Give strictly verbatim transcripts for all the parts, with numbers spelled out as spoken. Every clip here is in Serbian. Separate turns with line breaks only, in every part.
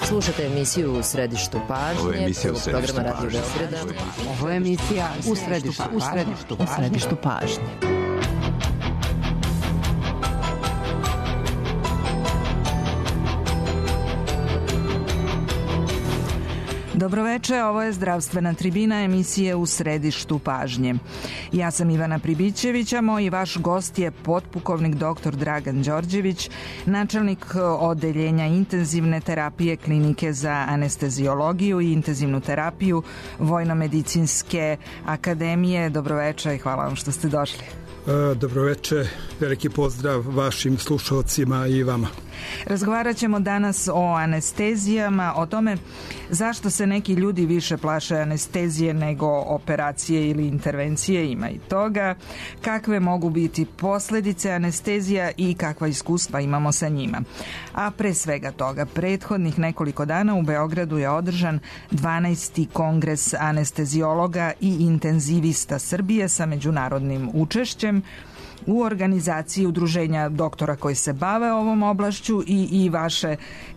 Slušate emisiju U središtu pažnje.
Ovo je emisija U središtu pažnje.
Ovo je emisija U središtu pažnje. U središtu pažnje.
Dobroveče, ovo je Zdravstvena tribina emisije U središtu pažnje. Ja sam Ivana Pribićević, a moj i vaš gost je potpukovnik doktor Dragan Đorđević, načelnik odeljenja intenzivne terapije Klinike za anesteziologiju i intenzivnu terapiju Vojno-medicinske akademije. Dobroveče i hvala vam što ste došli.
Dobroveče, veliki pozdrav vašim slušalcima i vama.
Razgovarat ćemo danas o anestezijama, o tome zašto se neki ljudi više plaše anestezije nego operacije ili intervencije, ima i toga, kakve mogu biti posljedice anestezija i kakva iskustva imamo sa njima. A pre svega toga, prethodnih nekoliko dana u Beogradu je održan dvanaesti kongres anesteziologa i intenzivista Srbije sa međunarodnim učešćem u organizaciji udruženja doktora koji se bave ovom oblašću i, i vaše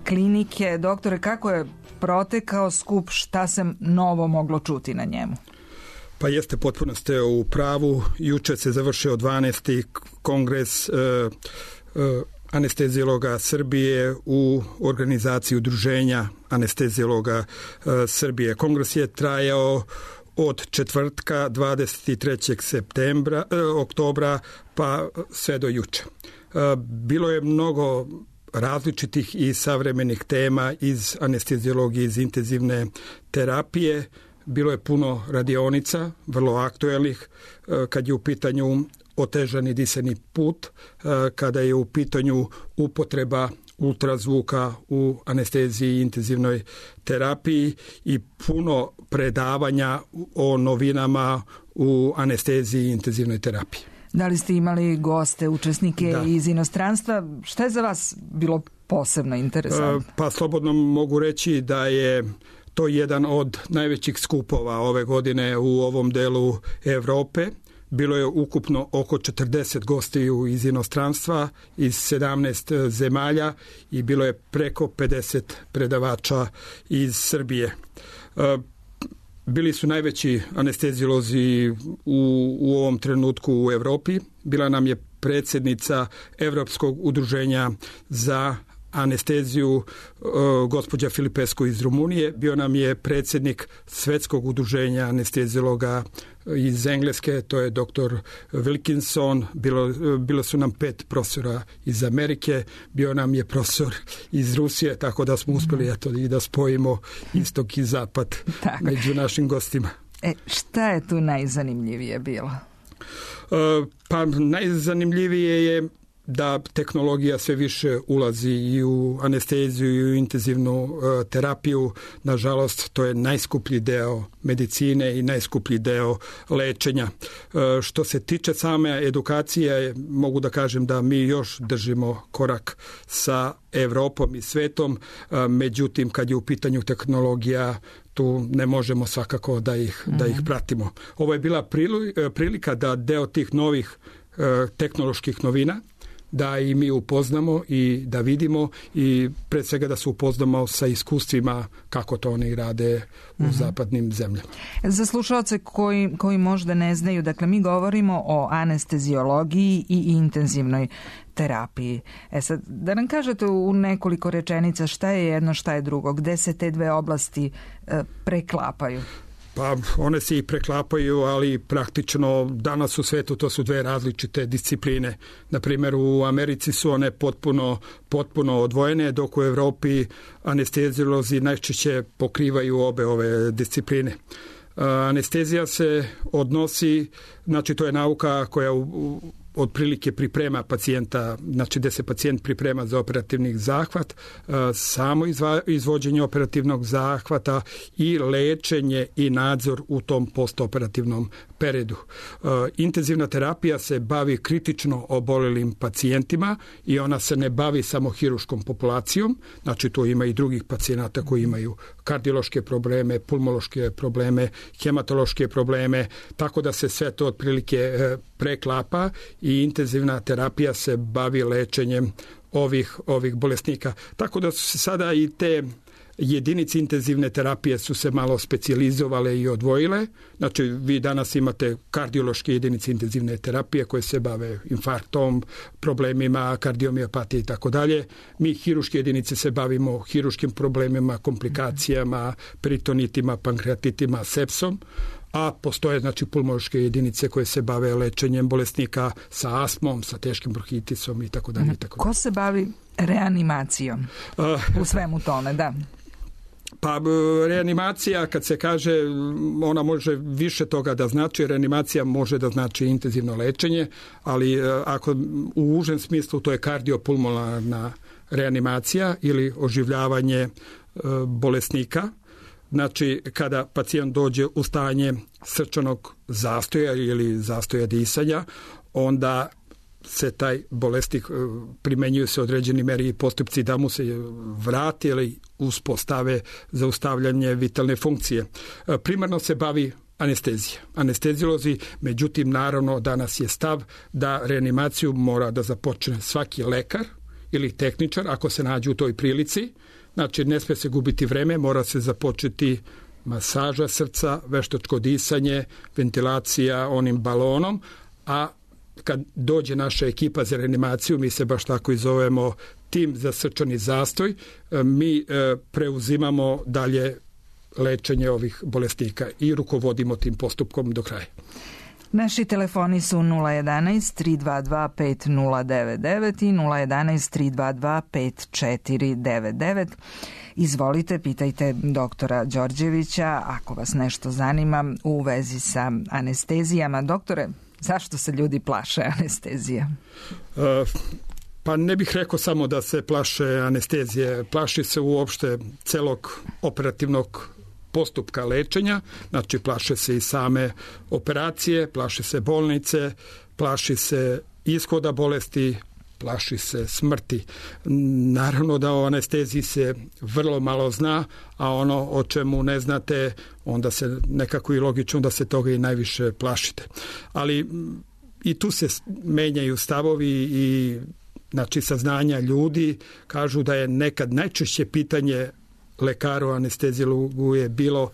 klinike. Doktore, kako je protekao skup, šta se novo moglo čuti na njemu?
Pa jeste, potpuno ste u pravu. Juče se završio dvanaesti kongres e, e, anesteziologa Srbije u organizaciji udruženja anesteziologa e, Srbije. Kongres je trajao od četvrtka dvadeset trećeg septembra, eh, oktobra pa sve do juče. Eh, bilo je mnogo različitih i savremenih tema iz anesteziologije, iz intenzivne terapije. Bilo je puno radionica, vrlo aktuelnih, eh, kad je u pitanju otežani disani put, eh, kada je u pitanju upotreba ultrazvuka u anesteziji i intenzivnoj terapiji i puno predavanja o novinama u anesteziji i intenzivnoj terapiji.
Da li ste imali goste, učesnike
da.
iz inostranstva? Šta je za vas bilo posebno interesantno?
Pa slobodno mogu reći da je to jedan od najvećih skupova ove godine u ovom delu Evrope. Bilo je ukupno oko četrdeset gostiju iz inostranstva, iz sedamnaest zemalja i bilo je preko pedeset predavača iz Srbije. Bili su najveći anesteziolozi u, u ovom trenutku u Evropi. Bila nam je predsjednica Evropskog udruženja za anesteziju gospođa Filipescu iz Rumunije. Bio nam je predsjednik Svetskog udruženja anesteziologa iz Engleske, to je doktor Wilkinson. Bilo, bilo su nam pet profesora iz Amerike, bio nam je profesor iz Rusije, tako da smo uspjeli eto, i da spojimo istok i zapad tako među našim gostima.
E, šta je tu najzanimljivije bilo?
Pa najzanimljivije je da tehnologija sve više ulazi i u anesteziju i u intenzivnu uh, terapiju. Nažalost, to je najskuplji deo medicine i najskuplji deo lečenja. Uh, što se tiče same edukacije, mogu da kažem da mi još držimo korak sa Evropom i svetom, uh, međutim, kad je u pitanju tehnologija, tu ne možemo svakako da ih, mm-hmm. da ih pratimo. Ovo je bila prilika da deo tih novih uh, tehnoloških novina da i mi upoznamo i da vidimo i pred svega da se upoznamo sa iskustvima kako to oni rade u uh-huh. zapadnim zemljama.
Za slušalce koji, koji možda ne znaju, dakle mi govorimo o anesteziologiji i intenzivnoj terapiji. E sad, da nam kažete u nekoliko rečenica šta je jedno, šta je drugo, gde se te dve oblasti e, preklapaju?
Pa one se i preklapaju, ali praktično danas u svetu to su dve različite discipline. Na primjer, u Americi su one potpuno, potpuno odvojene, dok u Evropi anesteziolozi najčešće pokrivaju obe ove discipline. Anestezija se odnosi, znači to je nauka koja u, u, otprilike priprema pacijenta, znači gde se pacijent priprema za operativni zahvat, samo izva, izvođenje operativnog zahvata i lečenje i nadzor u tom postoperativnom periodu. Intenzivna terapija se bavi kritično obolelim pacijentima i ona se ne bavi samo hiruškom populacijom, znači tu ima i drugih pacijenata koji imaju kardiološke probleme, pulmološke probleme, hematološke probleme, tako da se sve to otprilike preklapa i intenzivna terapija se bavi lečenjem ovih, ovih bolesnika. Tako da su se sada i te jedinice intenzivne terapije su se malo specijalizovale i odvojile. Znači, vi danas imate kardiološke jedinice intenzivne terapije koje se bave infarktom, problemima kardiomiopatije i tako dalje. Mi hiruške jedinice se bavimo hiruškim problemima, komplikacijama, peritonitima, pankreatitima, sepsom, a postoje znači pulmološke jedinice koje se bave lečenjem bolesnika sa astmom, sa teškim bronhitisom i tako dalje.
Ko se bavi reanimacijom u svemu tome, da?
Pa reanimacija, kad se kaže, ona može više toga da znači. Reanimacija može da znači intenzivno lečenje, ali ako u užem smislu to je kardiopulmonarna reanimacija ili oživljavanje bolesnika. Znači, kada pacijent dođe u stanje srčanog zastoja ili zastoja disanja, onda se taj bolesnik, primenjuju se određeni meri i postupci da mu se vrati ili uspostave zaustavljanje vitalne funkcije. Primarno se bavi anestezija. Anesteziolozi, međutim, naravno, danas je stav da reanimaciju mora da započne svaki lekar ili tehničar ako se nađe u toj prilici. Znači, ne smije se gubiti vreme, mora se započeti masaža srca, veštačko disanje, ventilacija onim balonom, a kad dođe naša ekipa za reanimaciju, mi se baš tako i zovemo tim za srčani zastoj, mi preuzimamo dalje lečenje ovih bolesnika i rukovodimo tim postupkom do kraja.
Naši telefoni su nula jedanaest tri dva dva pet nula devet devet i nula jedanaest tri dva dva pet četiri devet devet. Izvolite, pitajte doktora Đorđevića ako vas nešto zanima u vezi sa anestezijama. Doktore, zašto se ljudi plaše anestezija?
Uh, pa ne bih rekao samo da se plaše anestezije. Plaši se uopšte celog operativnog postupka lečenja, znači plaše se i same operacije, plaše se bolnice, plaši se ishoda bolesti, plaši se smrti. Naravno da o anesteziji se vrlo malo zna, a ono o čemu ne znate, onda se nekako i logično da se toga i najviše plašite. Ali i tu se menjaju stavovi i znači saznanja ljudi, kažu da je nekad najčešće pitanje lekaru anesteziologu je bilo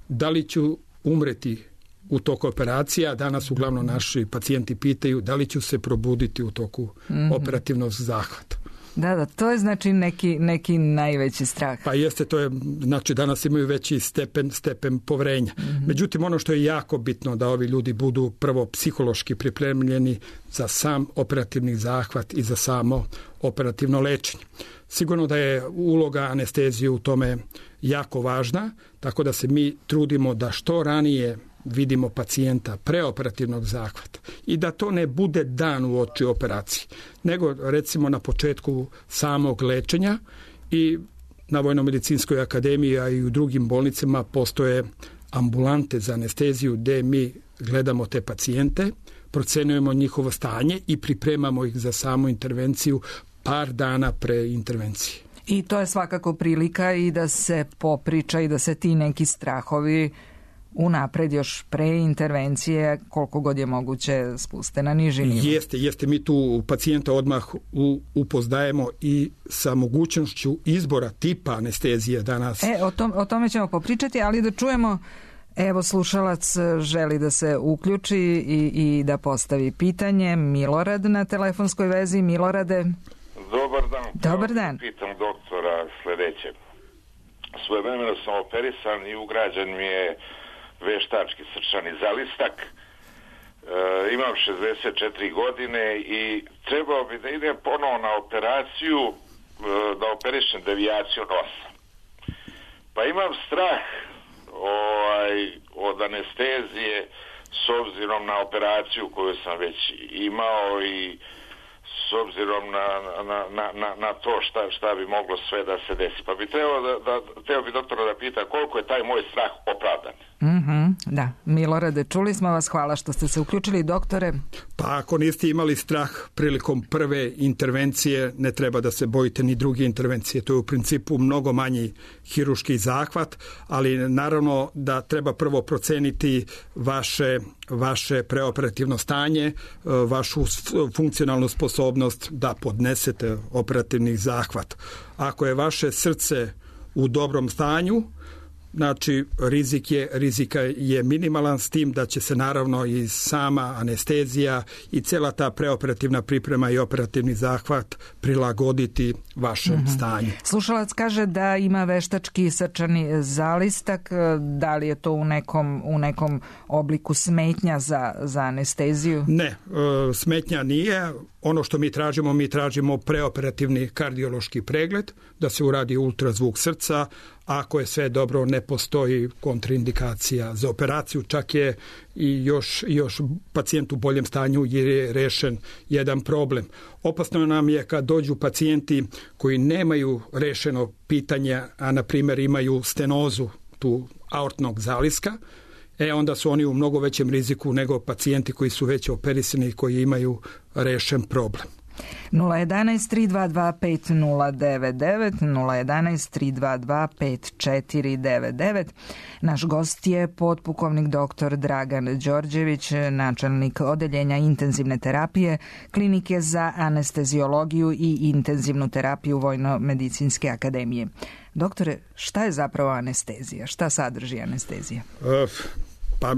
da li ću umreti u toku operacija. Danas uglavnom naši pacijenti pitaju da li ću se probuditi u toku mm-hmm. operativnog zahvata.
Da, da, to je znači neki, neki najveći strah.
Pa jeste, to je, znači danas imaju veći stepen, stepen poverenja. Mm-hmm. Međutim, ono što je jako bitno da ovi ljudi budu prvo psihološki pripremljeni za sam operativni zahvat i za samo operativno lečenje. Sigurno da je uloga anestezije u tome jako važna, tako da se mi trudimo da što ranije vidimo pacijenta preoperativnog zahvata i da to ne bude dan u oči operacije, nego recimo na početku samog lečenja. I na Vojnomedicinskoj akademiji, a i u drugim bolnicama postoje ambulante za anesteziju gde mi gledamo te pacijente, procenjujemo njihovo stanje i pripremamo ih za samu intervenciju par dana pre intervencije.
I to je svakako prilika i da se popriča i da se ti neki strahovi unapred još pre intervencije koliko god je moguće spuste na niži nivo.
Jeste, jeste. Mi tu pacijenta odmah upoznajemo i sa mogućnošću izbora tipa anestezije danas.
E, o, tom, o tome ćemo popričati, ali da čujemo, evo slušalac želi da se uključi i, i da postavi pitanje. Milorad na telefonskoj vezi. Milorade.
Dobar dan.
Dobar dan.
Pitam doktora sledeće. Svojevremeno sam operisan i ugrađen mi je veštački srčani zalistak. E, imam šezdeset četiri godine i trebao bi da idem ponovo na operaciju, e, da operišem devijaciju nosa. Pa imam strah ovaj, od anestezije s obzirom na operaciju koju sam već imao i s obzirom na, na, na, na, na to šta, šta bi moglo sve da se desi. Pa bi trebao da, da, trebao bi doktora da pita koliko je taj moj strah opravdan.
Mm-hmm, da, Milorade, čuli smo vas, hvala što ste se uključili, doktore.
Pa ako niste imali strah prilikom prve intervencije, ne treba da se bojite ni druge intervencije. To je u principu mnogo manji hiruški zahvat, ali naravno da treba prvo proceniti vaše, vaše preoperativno stanje, vašu funkcionalnu sposobnost da podnesete operativni zahvat. Ako je vaše srce u dobrom stanju, znači rizik je, rizika je minimalan, s tim da će se naravno i sama anestezija i cela ta preoperativna priprema i operativni zahvat prilagoditi vašem mm-hmm. stanju.
Slušalac kaže da ima veštački srčani zalistak, da li je to u nekom, u nekom obliku smetnja za, za anesteziju?
Ne, smetnja nije. Ono što mi tražimo, mi tražimo preoperativni kardiološki pregled, da se uradi ultrazvuk srca. Ako je sve dobro, ne postoji kontraindikacija za operaciju, čak je i još, još pacijent u boljem stanju jer je rešen jedan problem. Opasno nam je kad dođu pacijenti koji nemaju rešeno pitanje, a na primjer imaju stenozu tu aortnog zaliska, e onda su oni u mnogo većem riziku nego pacijenti koji su već operisani i koji imaju rešen problem.
nula jedan tri dva dva pet nula devet devet, nula jedan tri dva dva pet četiri devet devet. Naš gost je potpukovnik doktor Dragan Đorđević, načelnik odeljenja intenzivne terapije Klinike za anesteziologiju i intenzivnu terapiju Vojno-medicinske akademije. Doktore, šta je zapravo anestezija? Šta sadrži anestezija?
Uh, pa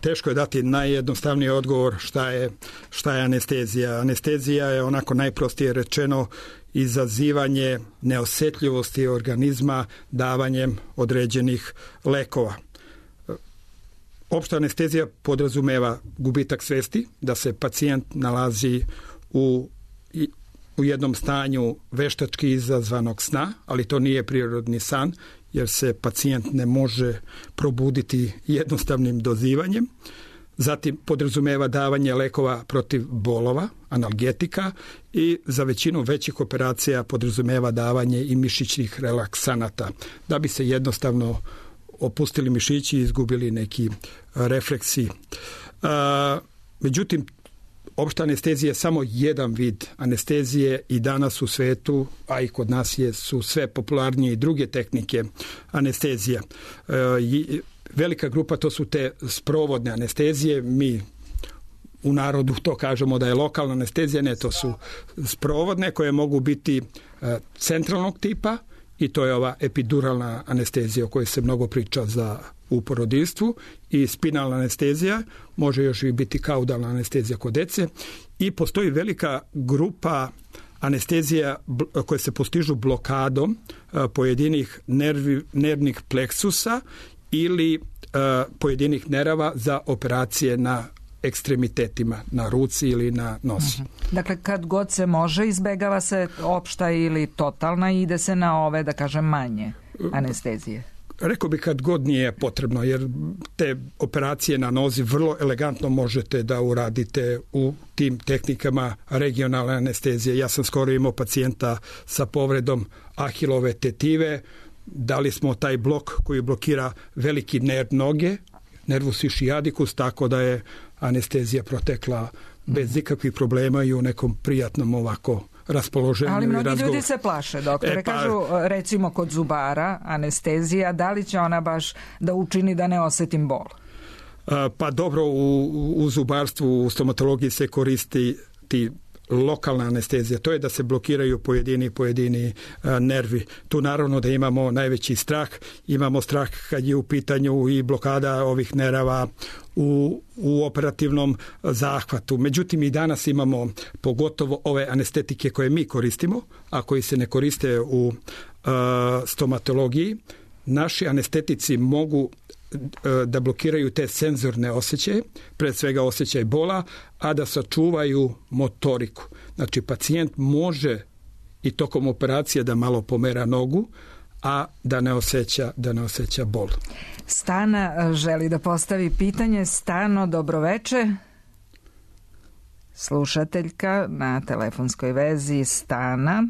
teško je dati najjednostavniji odgovor šta je, šta je anestezija. Anestezija je onako najprostije rečeno izazivanje neosjetljivosti organizma davanjem određenih lekova. Opšta anestezija podrazumeva gubitak svesti, da se pacijent nalazi u, u jednom stanju veštački izazvanog sna, ali to nije prirodni san, jer se pacijent ne može probuditi jednostavnim dozivanjem. Zatim podrazumeva davanje lekova protiv bolova, analgetika, i za većinu većih operacija podrazumeva davanje i mišićnih relaksanata, da bi se jednostavno opustili mišići i izgubili neki refleksi. A, međutim, opšta anestezija je samo jedan vid anestezije i danas u svetu, a i kod nas je, su sve popularnije i druge tehnike anestezija. E, velika grupa to su te sprovodne anestezije, mi u narodu to kažemo da je lokalna anestezija, ne, to su sprovodne koje mogu biti e, centralnog tipa i to je ova epiduralna anestezija o kojoj se mnogo priča za u porodilstvu, i spinalna anestezija, može još i biti kaudalna anestezija kod dece, i postoji velika grupa anestezija koje se postižu blokadom pojedinih nervi, nervnih pleksusa ili pojedinih nerava za operacije na ekstremitetima, na ruci ili na nosi.
Dakle, kad god se može, izbegava se opšta ili totalna i ide se na ove, da kažem, manje anestezije.
Rekao bih kad god nije potrebno, jer te operacije na nozi vrlo elegantno možete da uradite u tim tehnikama regionalne anestezije. Ja sam skoro imao pacijenta sa povredom ahilove tetive, dali smo taj blok koji blokira veliki nerv noge, nervus ischiadicus, tako da je anestezija protekla bez ikakvih problema i u nekom prijatnom ovako raspoloženju.
Ali mnogi
razgovor.
Ljudi se plaše, doktore.
E, pa,
kažu, recimo kod zubara, anestezija, da li će ona baš da učini da ne osetim bol?
Pa dobro, u, u zubarstvu, u stomatologiji se koristi ti lokalna anestezija, to je da se blokiraju pojedini pojedini a, nervi. Tu naravno da imamo najveći strah, imamo strah kad je u pitanju i blokada ovih nerava u, u operativnom zahvatu. Međutim, i danas imamo pogotovo ove anestetike koje mi koristimo, a koji se ne koriste u a, stomatologiji. Naši anestetici mogu da blokiraju te senzorne osjećaje, pred svega osjećaj bola, a da sačuvaju motoriku. Znači, pacijent može i tokom operacije da malo pomera nogu, a da ne osjeća, da ne osjeća bol.
Stana želi da postavi pitanje. Stano, dobroveče. Slušateljka na telefonskoj vezi. Stana,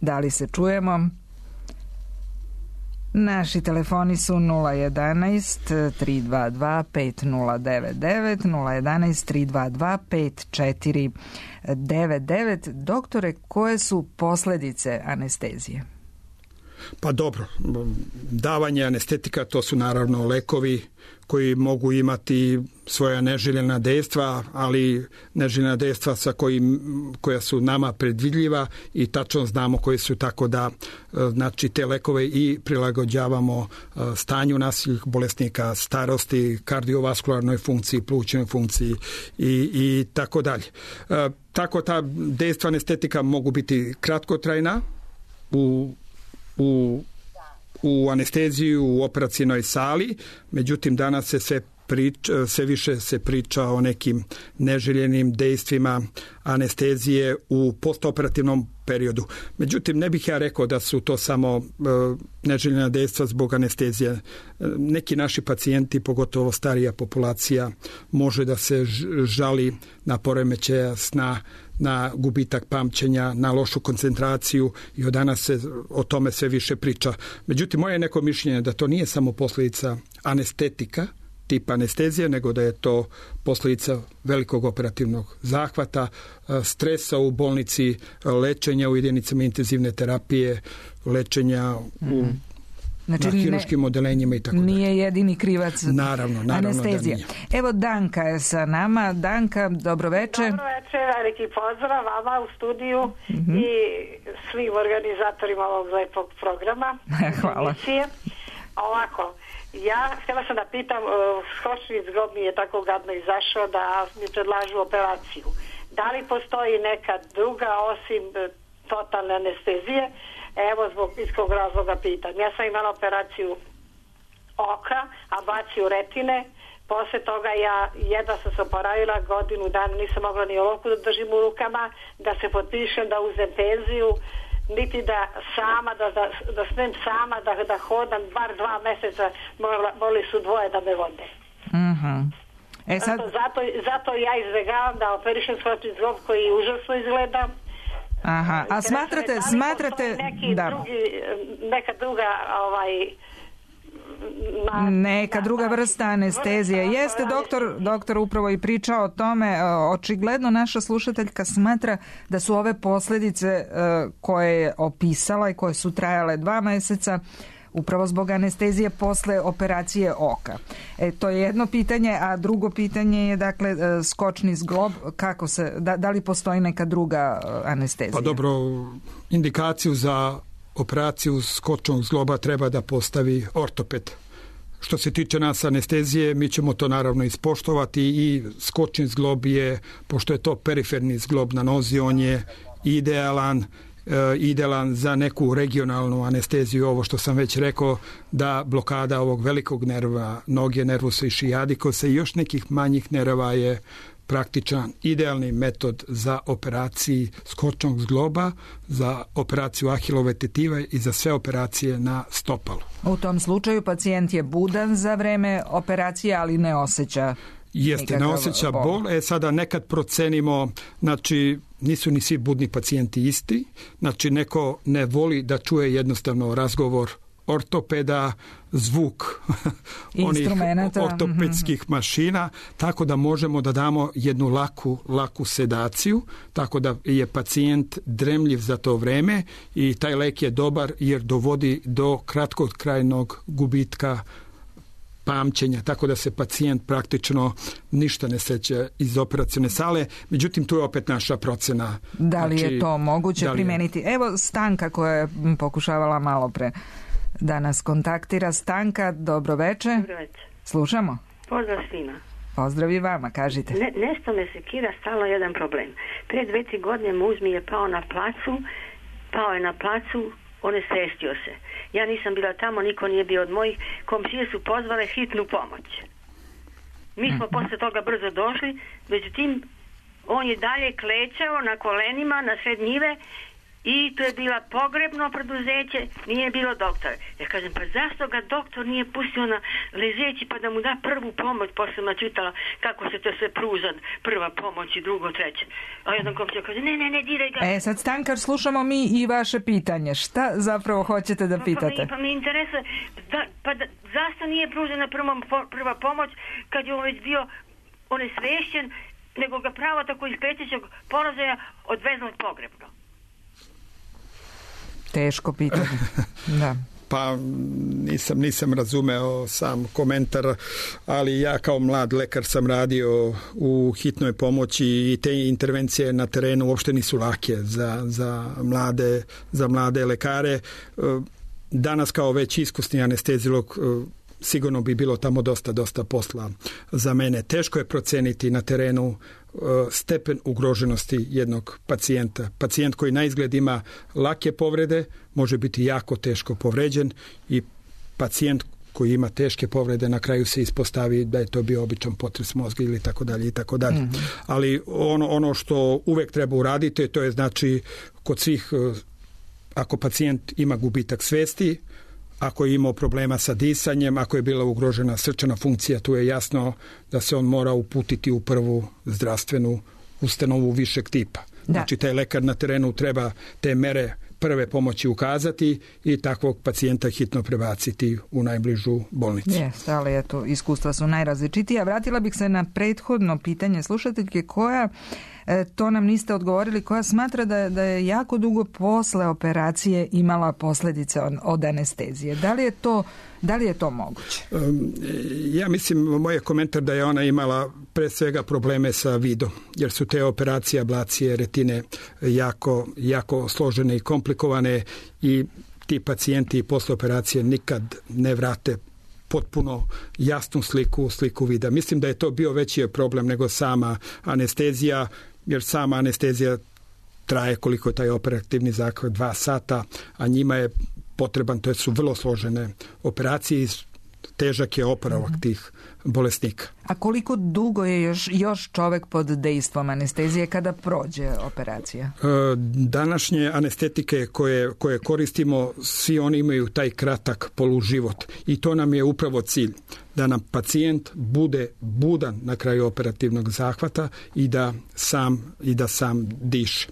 da li se čujemo? Naši telefoni su nula jedan tri dva dva pet nula devet devet, nula jedan tri dva dva pet četiri devet devet. Doktore, koje su posljedice anestezije?
Pa dobro, davanje anestetika to su naravno lekovi koji mogu imati svoja neželjena dejstva, ali neželjena dejstva sa kojim, koja su nama predvidljiva i tačno znamo koji su, tako da znači te lekove i prilagođavamo stanju naših bolesnika, starosti, kardiovaskularnoj funkciji, plućnoj funkciji i, i tako dalje. Tako ta dejstva anestetika mogu biti kratkotrajna u, u u anesteziju u operacijnoj sali, međutim danas se sve priča, sve više se priča o nekim neželjenim dejstvima anestezije u postoperativnom periodu. Međutim, ne bih ja rekao da su to samo e, neželjena dejstva zbog anestezije. E, neki naši pacijenti, pogotovo starija populacija, može da se žali na poremećaja sna, na gubitak pamćenja, na lošu koncentraciju i od danas se o tome sve više priča. Međutim, moje neko mišljenje da to nije samo posljedica anestetika, tip anestezije, nego da je to posljedica velikog operativnog zahvata, stresa u bolnici, lečenja u jedinicama intenzivne terapije, lečenja u znači, na hiruškim odelenjima i tako dalje.
Nije jedini krivac
naravno, naravno
anestezije.
Da nije.
Evo Danka je sa nama. Danka, dobro večer.
Dobro večer, veliki pozdrav vama u studiju mm-hmm. i svim organizatorima ovog lepog programa.
Hvala.
Emisije. Ovako, ja htjela sam da pitam, skočni zglob mi je tako gadno izašao da mi predlažu operaciju. Da li postoji neka druga osim totalne anestezije? Evo, zbog iskog razloga pitam. Ja sam imala operaciju oka, ablaciju retine. Poslije toga ja jedva sam se oporavila, godinu dana nisam mogla ni olovku da držim u rukama, da se potpišem, da uzem penziju, niti da sama, da, da, da snem sama, da, da hodam, bar dva mjeseca morali su dvoje da me vode.
Uh-huh. E sad...
zato, zato, zato ja izbjegavam da operišem skočni zglob koji užasno izgleda.
Aha, a smatrate,
da
smatrate
neki
da.
drugi, neka druga ovaj
Na, neka druga vrsta anestezije. Jeste doktor, doktor upravo i pričao o tome. Očigledno naša slušateljka smatra da su ove posljedice koje je opisala i koje su trajale dva mjeseca upravo zbog anestezije posle operacije oka. E, to je jedno pitanje, a drugo pitanje je dakle skočni zglob, kako se, da, da li postoji neka druga anestezija?
Pa dobro, indikaciju za operaciju skočnog zgloba treba da postavi ortoped. Što se tiče nas anestezije, mi ćemo to naravno ispoštovati i skočni zglob je, pošto je to periferni zglob na nozi, on je idealan, e, idealan za neku regionalnu anesteziju, ovo što sam već rekao, da blokada ovog velikog nerva, noge, nervusa i šijadikosa i još nekih manjih nerva je praktičan, idealni metod za operaciji skočnog zgloba, za operaciju ahilove tetive i za sve operacije na stopalu.
U tom slučaju pacijent je budan za vreme operacije, ali ne osjeća
Jeste, ne osjeća bol. bol. E sada nekad procenimo, znači nisu ni svi budni pacijenti isti, znači neko ne voli da čuje jednostavno razgovor ortopeda, zvuk onih ortopedskih mm-hmm. mašina, tako da možemo da damo jednu laku, laku sedaciju, tako da je pacijent dremljiv za to vreme i taj lek je dobar jer dovodi do kratkotrajnog gubitka pamćenja, tako da se pacijent praktično ništa ne seća iz operacione sale. Međutim, tu je opet naša procena.
Da li znači, je to moguće primeniti? Je... Evo Stanka koja je pokušavala malo pre da nas kontaktira. Stanka, dobro večer.
Dobro večer.
Slušamo.
Pozdrav svima.
Pozdrav i vama, kažite.
Ne, nešto me sekira stalno jedan problem. Prije dve, tri godine muz mi je pao na placu, pao je na placu, onesvestio se. Ja nisam bila tamo, niko nije bio od mojih, komšije su pozvale hitnu pomoć. Mi smo posle toga brzo došli, međutim, on je dalje klečao na kolenima, na sred njive, i to je bila pogrebno preduzeće, nije bilo doktora. Ja kažem, pa zašto ga doktor nije pustio na ležeći pa da mu da prvu pomoć? Posle sam čitala kako se to sve pruža, prva pomoć i drugo, treće. A jedan komšija kaže, ne, ne, ne, diraj ga.
E, sad Stankar, slušamo mi i vaše pitanje. Šta zapravo hoćete da pitate?
Pa, pa, mi, pa mi interesuje, da, pa da, zašto nije pružena prva, prva pomoć kad je on već bio onesvešćen, nego ga pravo tako iz pretećeg položaja odvezlo pogrebno?
Teško pitanje. Da.
Pa nisam, nisam razumeo sam komentar, ali ja kao mlad lekar sam radio u hitnoj pomoći i te intervencije na terenu uopšte nisu lake za, za, mlade, za mlade lekare. Danas kao već iskusni anestezilog sigurno bi bilo tamo dosta, dosta posla za mene. Teško je proceniti na terenu stepen ugroženosti jednog pacijenta. Pacijent koji na izgled ima lake povrede može biti jako teško povređen i pacijent koji ima teške povrede na kraju se ispostavi da je to bio običan potres mozga ili tako dalje i tako dalje. Mm-hmm. Ali ono, ono što uvek treba uraditi, to je znači kod svih, ako pacijent ima gubitak svesti, ako je imao problema sa disanjem, ako je bila ugrožena srčana funkcija, tu je jasno da se on mora uputiti u prvu zdravstvenu ustanovu višeg tipa. Da. Znači, taj lekar na terenu treba te mere prve pomoći ukazati i takvog pacijenta hitno prebaciti u najbližu bolnicu.
Jeste, ali eto, iskustva su najrazličitija. Vratila bih se na prethodno pitanje slušateljke koja, e, to nam niste odgovorili, koja smatra da, da je jako dugo posle operacije imala posljedice od, od anestezije. Da li je to Da li je to moguće?
Ja mislim, moj je komentar da je ona imala pre svega probleme sa vidom, jer su te operacije ablacije retine jako, jako složene i komplikovane i ti pacijenti posle operacije nikad ne vrate potpuno jasnu sliku, sliku vida. Mislim da je to bio veći problem nego sama anestezija, jer sama anestezija traje koliko je taj operativni zahvat, dva sata, a njima je potreban, to su vrlo složene operacije i težak je oporavak mm-hmm. tih bolesnika.
A koliko dugo je još, još čovjek pod dejstvom anestezije kada prođe operacija?
E, današnje anestetike koje, koje koristimo, svi oni imaju taj kratak poluživot i to nam je upravo cilj, da nam pacijent bude budan na kraju operativnog zahvata i da sam, i da sam diše.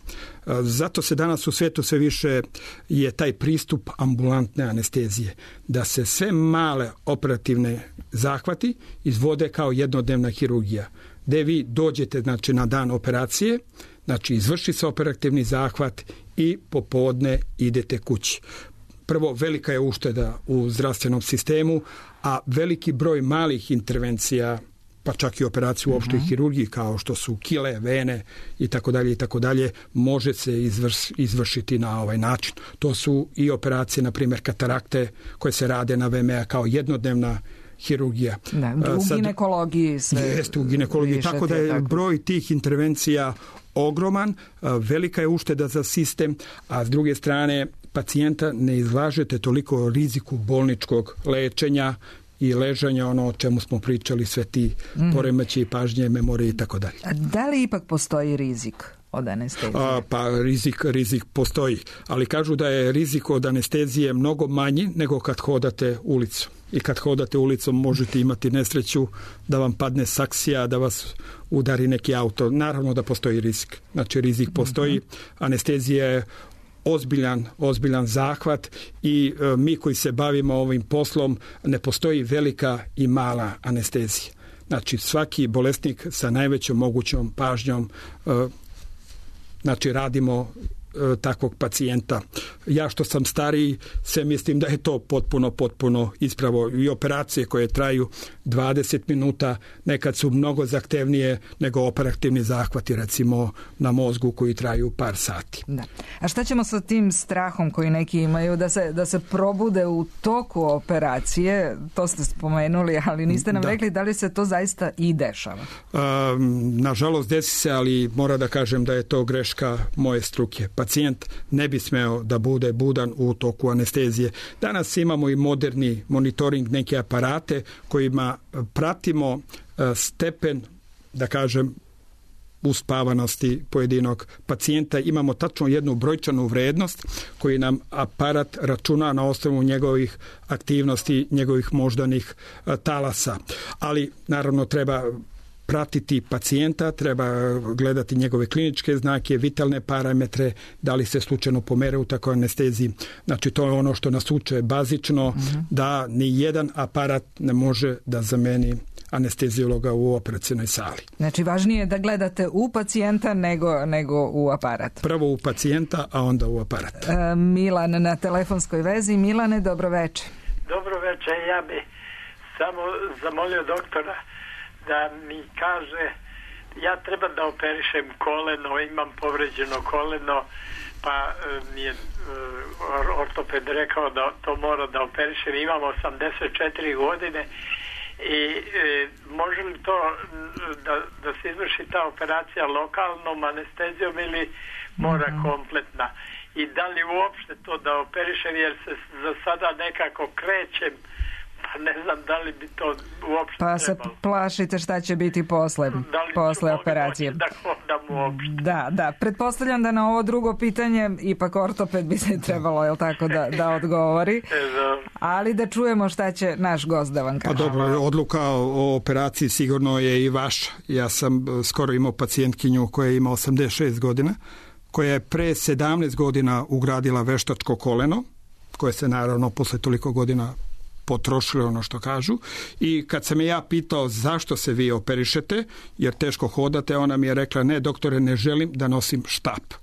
Zato se danas u svijetu sve više je taj pristup ambulantne anestezije, da se sve male operativne zahvati izvode kao jednodnevna hirurgija, gdje vi dođete znači, na dan operacije, znači izvrši se operativni zahvat i popodne idete kući. Prvo, velika je ušteda u zdravstvenom sistemu, a veliki broj malih intervencija, pa čak i operaciju u opštoj uh-huh. hirurgiji kao što su kile, vene i tako dalje i tako dalje, može se izvrš, izvršiti na ovaj način. To su i operacije, na primjer katarakte koje se rade na V M A kao jednodnevna hirurgija.
Da, u Sad, ginekologiji sve.
Jeste, u ginekologiji, tako da je tako. Broj tih intervencija ogroman, velika je ušteda za sistem, a s druge strane pacijenta ne izlažete toliko riziku bolničkog lečenja i ležanja, ono o čemu smo pričali, sve ti mm. poremeći, pažnje, memorije i tako dalje.
A da li ipak postoji rizik od anestezije?
A, pa rizik, rizik postoji, ali kažu da je rizik od anestezije mnogo manji nego kad hodate ulicu. I kad hodate ulicom možete imati nesreću da vam padne saksija, da vas udari neki auto. Naravno da postoji rizik. Znači rizik postoji. Mm-hmm. Anestezija je ozbiljan, ozbiljan zahvat i e, mi koji se bavimo ovim poslom, ne postoji velika i mala anestezija. Znači svaki bolesnik sa najvećom mogućom pažnjom e, znači radimo e, takvog pacijenta. Ja što sam stariji se mislim da je to potpuno, potpuno ispravo. I operacije koje traju dvadeset minuta nekad su mnogo zahtevnije nego operativni zahvati recimo na mozgu koji traju par sati.
Da. A šta ćemo sa tim strahom koji neki imaju da se, da se probude u toku operacije? To ste spomenuli, ali niste nam da. rekli da li se to zaista i dešava.
Um, nažalost desi se, ali mora da kažem da je to greška moje struke. Pacijent ne bi smeo da bude budan u toku anestezije. Danas imamo i moderni monitoring, neke aparate kojima pratimo stepen, da kažem, uspavanosti pojedinog pacijenta. Imamo tačno jednu brojčanu vrednost koji nam aparat računa na osnovu njegovih aktivnosti, njegovih moždanih talasa. Ali naravno treba pratiti pacijenta, treba gledati njegove kliničke znake, vitalne parametre, da li se slučajno pomere u takvoj anesteziji. Znači, to je ono što nas uče bazično, mm-hmm. da ni jedan aparat ne može da zameni anesteziologa u operacionoj sali.
Znači, važnije je da gledate u pacijenta nego, nego u aparat.
Prvo u pacijenta, a onda u aparat.
E, Milan na telefonskoj vezi. Milane, dobro večer.
Dobro večer, ja bi samo zamolio doktora da mi kaže, ja treba da operišem koleno, imam povređeno koleno, pa mi je ortoped rekao da to mora da operišem, imam osamdeset četiri godine i e, može li to da, da se izvrši ta operacija lokalnom anestezijom ili mora mm-hmm. kompletna? I da li uopšte to da operišem, jer se za sada nekako krećem, pa ne znam da li bi to uopšte
pa
trebalo.
Pa se plašite šta će biti posle, posle operacije.
Da hodam uopšte.
Da, da. Pretpostavljam da na ovo drugo pitanje ipak ortoped bi se trebalo, jel tako, da, da odgovori. Ali da čujemo šta će naš gost da vam kaže.
Pa dobro, odluka o operaciji sigurno je i vaša. Ja sam skoro imao pacijentkinju koja ima osamdeset šest godina, koja je pre sedamnaest godina ugradila veštačko koleno, koje se naravno posle toliko godina potrošilo, ono što kažu, i kad sam je ja pitao zašto se vi operišete, jer teško hodate, ona mi je rekla, ne doktore, ne želim da nosim štap.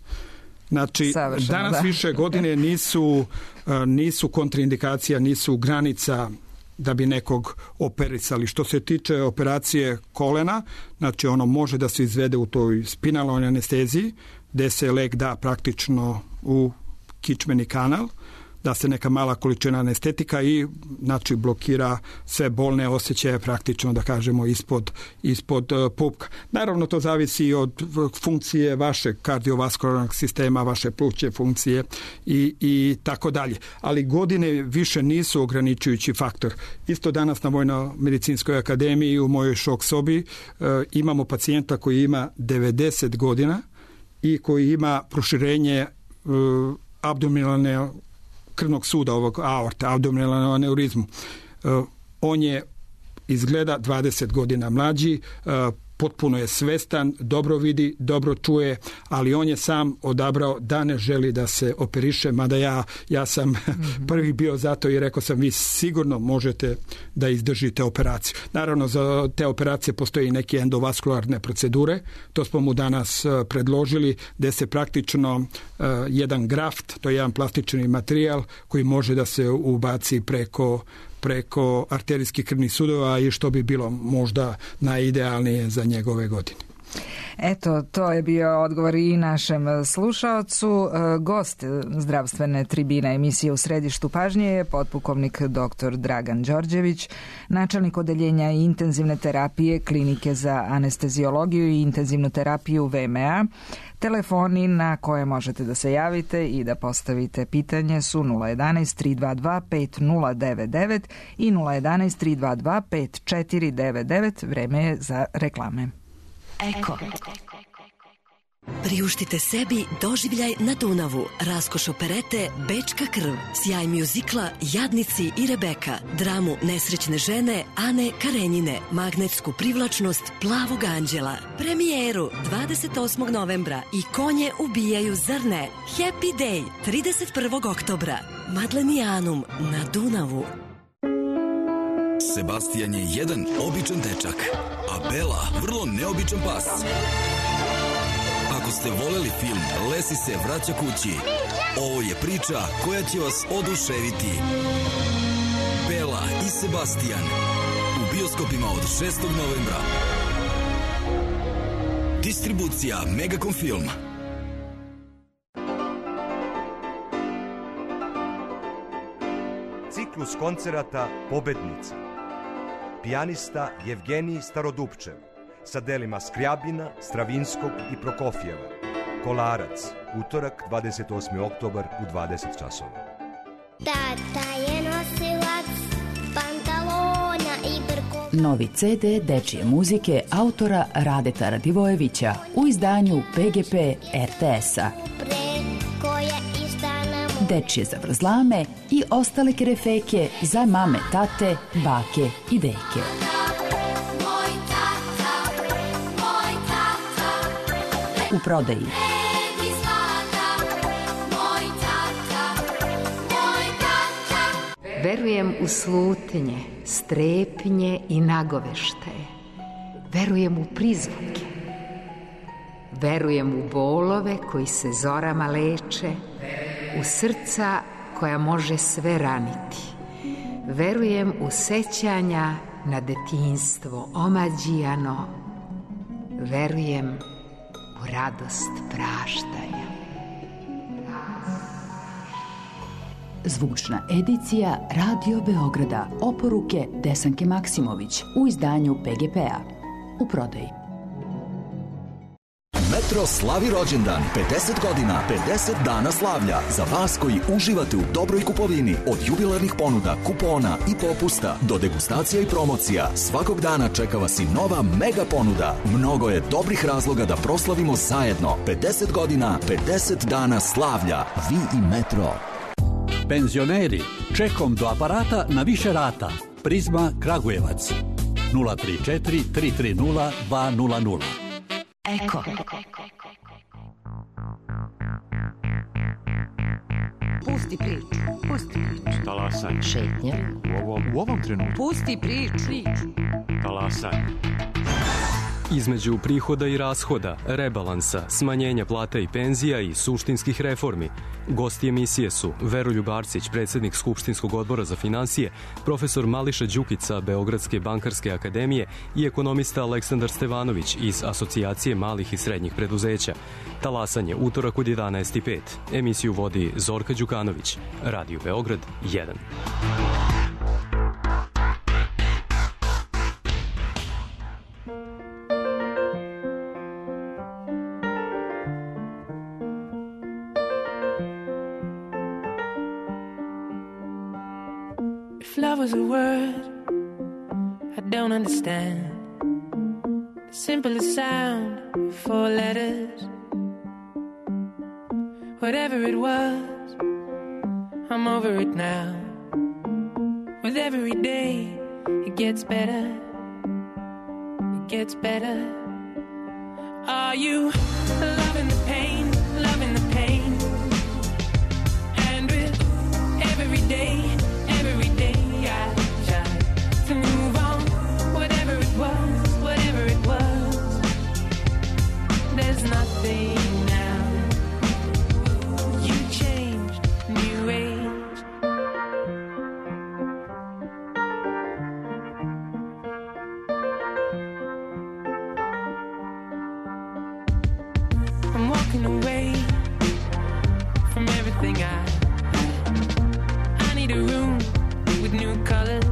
Znači, savršeno, danas da. Više godine nisu, nisu kontraindikacija, nisu granica da bi nekog operisali. Što se tiče operacije kolena, znači ono može da se izvede u toj spinalnoj anesteziji, gde se lek da praktično u kičmeni kanal, da se neka mala količina anestetika i znači blokira sve bolne osjećaje praktično, da kažemo, ispod, ispod uh, pupka. Naravno, to zavisi od funkcije vašeg kardiovaskularnog sistema, vaše plućne funkcije i, i tako dalje. Ali godine više nisu ograničujući faktor. Isto danas na Vojno-medicinskoj akademiji u mojoj šok sobi uh, imamo pacijenta koji ima devedeset godina i koji ima proširenje uh, abdominalne krvnog suda, ovog aorta, abdominalnu aneurizmu. Uh, on je izgleda dvadeset godina mlađi, uh, potpuno je svestan, dobro vidi, dobro čuje, ali on je sam odabrao da ne želi da se operiše, mada ja, ja sam mm-hmm. prvi bio zato i rekao sam, vi sigurno možete da izdržite operaciju. Naravno, za te operacije postoji neke endovaskularne procedure, to smo mu danas uh, predložili, gde se praktično uh, jedan graft, to je jedan plastični materijal koji može da se ubaci preko preko arterijskih krvnih sudova i što bi bilo možda najidealnije za njegove godine.
Eto, to je bio odgovor i našem slušaocu. Gost zdravstvene tribine emisije U središtu pažnje je potpukovnik doktor Dragan Đorđević, načelnik odeljenja intenzivne terapije Klinike za anesteziologiju i intenzivnu terapiju V M A. Telefoni na koje možete da se javite i da postavite pitanje su nula jedanaest tri dva dva pet nula devet devet i nula jedanaest tri dva dva pet četiri devet devet. Vreme je za reklame.
Eko. Priuštite sebi doživljaj na Dunavu, raskoš operete Bečka krv, sjaj mjuzikla Jadnici i Rebeka, dramu Nesrećne žene Ane Karenjine, magnetsku privlačnost Plavog anđela, premijeru dvadeset osmog novembra i Konje ubijaju, zar ne? Happy Day trideset prvog oktobra, Madlenijanum na Dunavu.
Sebastian je jedan običan dečak, a Bela vrlo neobičan pas. Ako ste voleli film Lesi se vraća kući, ovo je priča koja će vas oduševiti. Bela i Sebastian u bioskopima od šestog novembra. Distribucija Megacom Film.
Ciklus koncerata Pobednica. Pijanista Jevgenij Starodupčev sa delima Skrjabina, Stravinskog i Prokofjeva. Kolarac, utorak dvadeset osmi oktobar u dvadeset časova.
Tata je nosilac pantalona i brkova.
Novi ce de dečije muzike autora Radeta Radivojevića u izdanju P G P R T S-a. Dečije zavrzlame i ostale kerefeke za mame, tate, bake i deke. u prodaji.
Verujem u slutnje, strepnje i nagoveštaje. Verujem u prizvuke. Verujem u bolove koji se zorama leče, u srca koja može sve raniti. Verujem u sećanja na detinjstvo omađijano. Verujem u radost praštanja.
Zvučna edicija Radio Beograda. Oporuke Desanke Maksimović u izdanju P G P-a. U prodaji.
Metro slavi rođendan, pedeset godina, pedeset dana slavlja. Za vas koji uživate u dobroj kupovini, od jubilarnih ponuda, kupona i popusta do degustacija i promocija, svakog dana čeka vas i nova mega ponuda. Mnogo je dobrih razloga da proslavimo zajedno. pedeset godina, pedeset dana slavlja. Vi i Metro.
Penzioneri, čekom do aparata na više rata. Prizma Kragujevac. nula tri četiri tri tri nula dva nula nula.
Eko.
Pusti priču. Pusti priču.
Talasanje.
Šetnja.
U ovom, u ovom trenutku.
Pusti priču.
Talasanje.
Između prihoda i rashoda, rebalansa, smanjenja plata i penzija i suštinskih reformi, gosti emisije su Veroljub Arsić, predsjednik Skupštinskog odbora za finansije, profesor Mališa Đukica Beogradske bankarske akademije i ekonomista Aleksandar Stevanović iz Asocijacije malih i srednjih preduzeća. Talasanje, utorak od jedanaest i pet. Emisiju vodi Zorka Đukanović. Radio Beograd jedan.
Love was a word I don't understand. The simplest sound, four letters. Whatever it was, I'm over it now. With every day, it gets better. It gets better. Are you loving the pain, loving the pain? And with every day, every day I try to move on. Whatever it was, whatever it was, there's nothing now. You changed, new age. I'm walking away from everything I I need a room with new colors.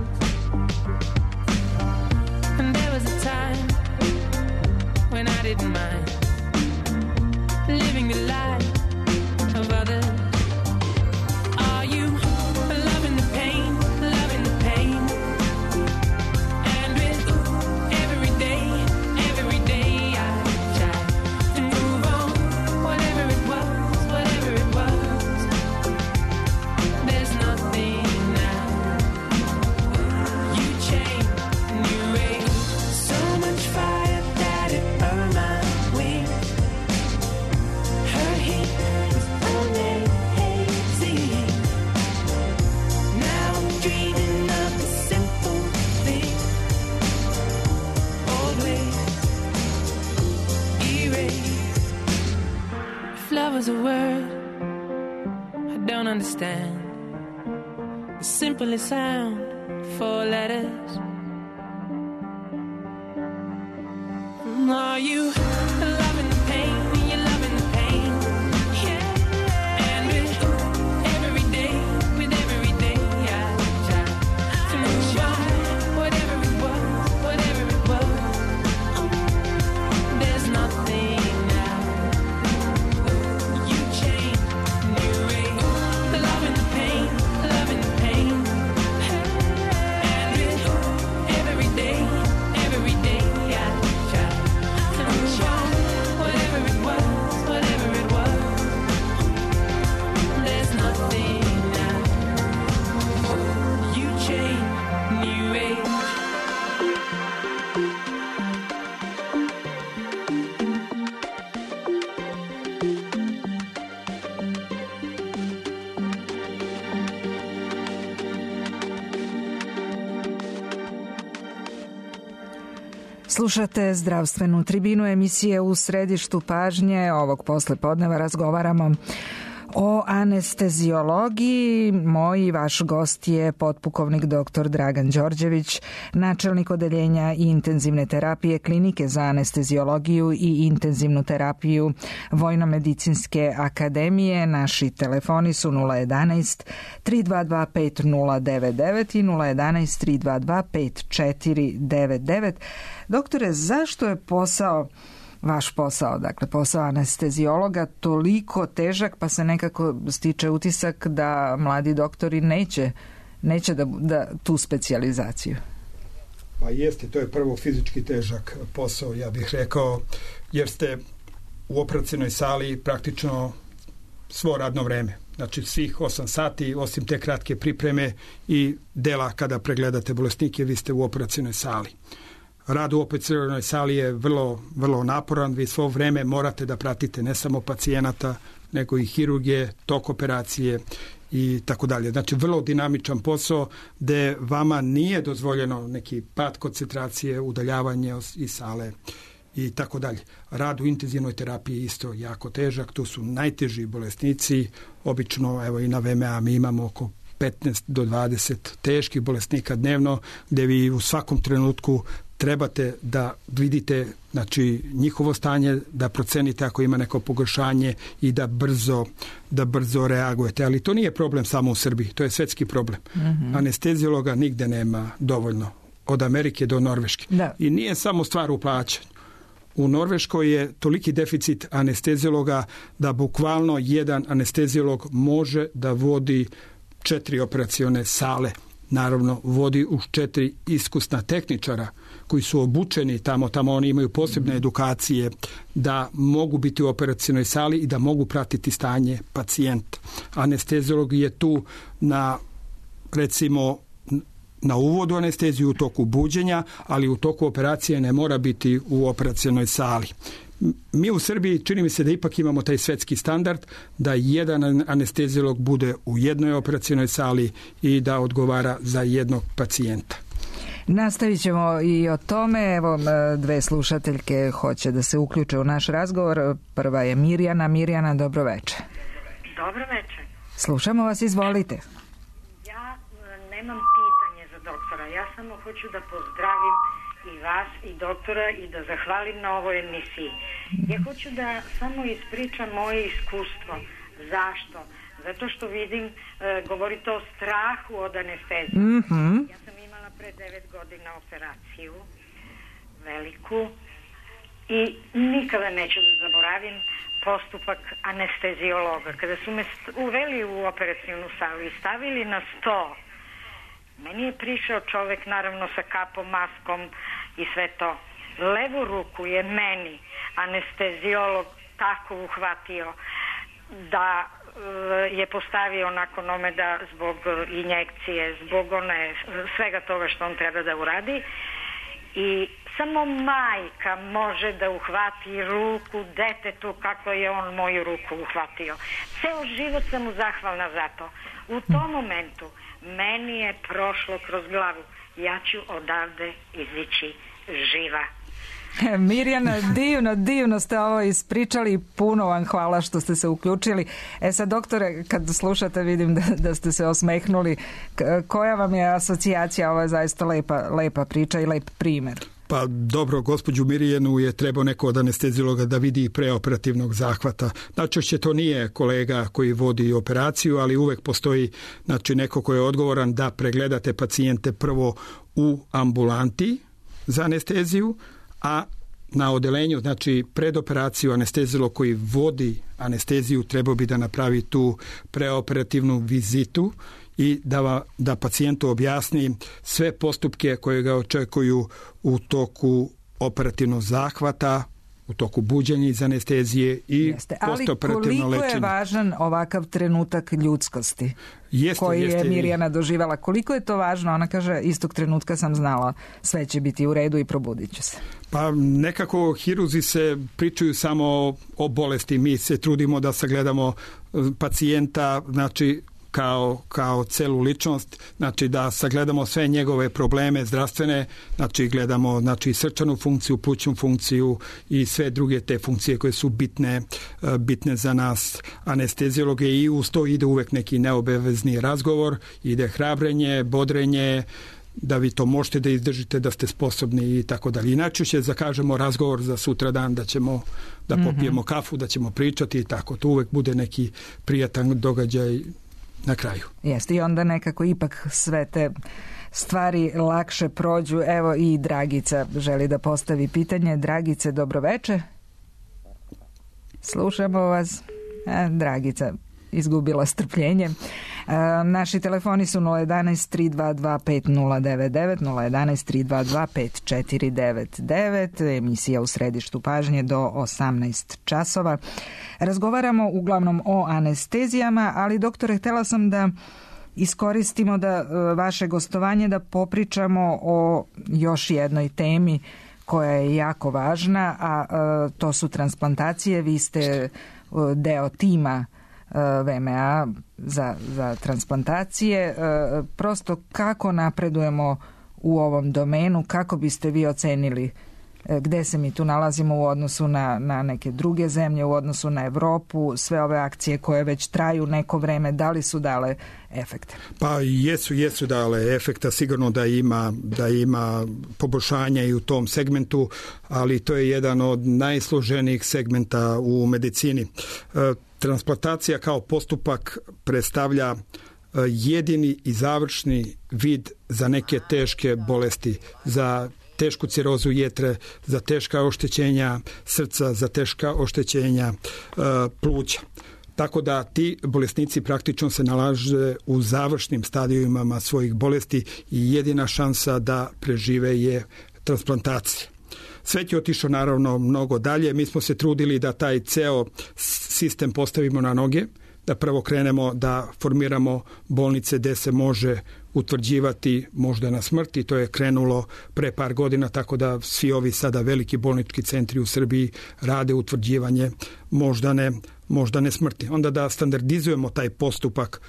And there was a time when I didn't mind living the life of others. Are you loving the pain, loving the pain? And with every day, every day I try to move on. Whatever it was, whatever it was, there's nothing now. You changed, new age. So much fire that it burned my wings. Her heat was amazing. Now I'm dreaming of the simple thing. Old ways erased. If love was a word I don't understand, the simplest sound, four letters. Are you loving the pain? You're loving the pain. Yeah. And with every day, with every day I try to move on. Whatever it was, whatever it was, there's nothing now. You changed, new age. Loving the pain, loving the pain. And with every day, every day I try to move
Slušate zdravstvenu tribinu emisije U središtu pažnje. Ovog poslepodneva razgovaramo o anesteziologiji. Moj vaš gost je potpukovnik doktor Dragan Đorđević, načelnik odeljenja intenzivne terapije Klinike za anesteziologiju i intenzivnu terapiju Vojnomedicinske akademije. Naši telefoni su nula jedanaest tri dva dva pet nula devet devet i nula jedanaest tri dva dva pet četiri devet devet. Doktore, zašto je posao vaš posao, dakle posao anesteziologa, toliko težak, pa se nekako stiče utisak da mladi doktori neće, neće da, da tu specijalizaciju?
Pa jeste, to je prvo fizički težak posao, ja bih rekao, jer ste u operacionoj sali praktično svo radno vreme. Znači svih osam sati, osim te kratke pripreme i dela kada pregledate bolesnike, vi ste u operacionoj sali. Rad u operacionoj sali je vrlo, vrlo naporan, vi svo vreme morate da pratite ne samo pacijenata, nego i hirurgije, tok operacije i tako dalje. Znači vrlo dinamičan posao gde vama nije dozvoljeno neki pad koncentracije, udaljavanje iz sale i tako dalje. Rad u intenzivnoj terapiji je isto jako težak, tu su najteži bolesnici, obično evo i na V M A mi imamo oko petnaest do dvadeset teških bolesnika dnevno, gde vi u svakom trenutku trebate da vidite znači njihovo stanje, da procenite ako ima neko pogoršanje i da brzo, da brzo reagujete. Ali to nije problem samo u Srbiji, to je svetski problem. Mm-hmm. Anesteziologa nigde nema dovoljno, od Amerike do Norveške. Da. I nije samo stvar u plaćanju. U Norveškoj je toliki deficit anesteziologa da bukvalno jedan anesteziolog može da vodi četiri operacione sale. Naravno, vodi uz četiri iskusna tehničara koji su obučeni tamo, tamo oni imaju posebne edukacije da mogu biti u operacionoj sali i da mogu pratiti stanje pacijenta. Anesteziolog je tu na, recimo, na uvodu anesteziju u toku buđenja, ali u toku operacije ne mora biti u operacionoj sali. Mi u Srbiji čini mi se da ipak imamo taj svetski standard da jedan anesteziolog bude u jednoj operacionoj sali i da odgovara za jednog pacijenta.
Nastavit ćemo i o tome. Evo, dve slušateljke hoće da se uključe u naš razgovor. Prva je Mirjana. Mirjana, dobro večer.
Dobro večer.
Slušamo vas, izvolite.
Ja nemam pitanje za doktora. Ja samo hoću da pozdravim i vas i doktora i da zahvalim na ovoj emisiji. Ja hoću da samo ispričam moje iskustvo. Zašto? Zato što vidim, e, govorite o strahu od anestezije. Mm-hmm. Ja sam imala pre devet godina operaciju, veliku, i nikada neću da zaboravim postupak anesteziologa. Kada su me uveli u operacijnu salu i stavili na sto, meni je prišao čovek, naravno sa kapom, maskom i sve to. Levu ruku je meni anesteziolog tako uhvatio da e, je postavio nakon ome da zbog injekcije, zbog one, svega toga što on treba da uradi. I samo majka može da uhvati ruku detetu kako je on moju ruku uhvatio. Ceo život sam mu zahvalna za to. U tom momentu meni je prošlo kroz glavu, ja ću odavde izići živa.
Mirjana, divno, divno ste ovo ispričali, puno vam hvala što ste se uključili. E sad, doktore, kad slušate vidim da, da ste se osmehnuli. Koja vam je asocijacija? Ovo je zaista lepa, lepa priča i lep primer.
Pa dobro, gospođu Mirjanu je trebao neko od anesteziologa da vidi preoperativnog zahvata. Najčešće to nije kolega koji vodi operaciju, ali uvek postoji znači, neko ko je odgovoran da pregledate pacijente prvo u ambulanti za anesteziju, a na odelenju, znači pred operaciju anesteziolog koji vodi anesteziju trebao bi da napravi tu preoperativnu vizitu i da, da pacijentu objasni sve postupke koje ga očekuju u toku operativnog zahvata, u toku buđenja iz anestezije i postoperativno lečenje.
Ali koliko je važan ovakav trenutak ljudskosti jeste, koji jeste, je Mirjana doživala? Koliko je to važno? Ona kaže, istog trenutka sam znala, sve će biti u redu i probudit ću se.
Pa nekako hirurzi se pričaju samo o bolesti. Mi se trudimo da sagledamo pacijenta, znači kao, kao celu ličnost, znači da sagledamo sve njegove probleme zdravstvene, znači gledamo znači srčanu funkciju, plućnu funkciju i sve druge te funkcije koje su bitne, bitne za nas anesteziologe i uz to ide uvek neki neobavezni razgovor, ide hrabrenje, bodrenje, da vi to možete da izdržite, da ste sposobni i tako dalje. Inače će zakažemo razgovor za sutra dan da ćemo da popijemo kafu, da ćemo pričati i tako. To uvek bude neki prijatan događaj na kraju.
Jeste, i onda nekako ipak sve te stvari lakše prođu. Evo i Dragica želi da postavi pitanje. Dragice, dobroveče. Slušamo vas. E, Dragica izgubila strpljenje. E, naši telefoni su nula jedanaest tri dva dva pet nula devet devet, nula jedanaest tri dva dva pet četiri devet devet, emisija u središtu pažnje do osamnaest časova. Razgovaramo uglavnom o anestezijama, ali doktore, htjela sam da iskoristimo da vaše gostovanje da popričamo o još jednoj temi koja je jako važna, a, a to su transplantacije. Vi ste deo tima V M A za, za transplantacije. Prosto kako napredujemo u ovom domenu, kako biste vi ocenili gde se mi tu nalazimo u odnosu na, na neke druge zemlje, u odnosu na Evropu, sve ove akcije koje već traju neko vreme, da li su dale efekte?
Pa jesu, jesu dale efekta, sigurno da ima, da ima poboljšanja i u tom segmentu, ali to je jedan od najsloženijih segmenta u medicini. Transplantacija kao postupak predstavlja jedini i završni vid za neke teške bolesti, za tešku cirozu jetre, za teška oštećenja srca, za teška oštećenja uh, pluća. Tako da ti bolesnici praktično se nalaze u završnim stadijima svojih bolesti i jedina šansa da prežive je transplantacija. Svet je otišao naravno mnogo dalje. Mi smo se trudili da taj ceo sistem postavimo na noge, da prvo krenemo da formiramo bolnice gde se može utvrđivati moždana smrt i to je krenulo pre par godina, tako da svi ovi sada veliki bolnički centri u Srbiji rade utvrđivanje moždane, moždane smrti. Onda da standardizujemo taj postupak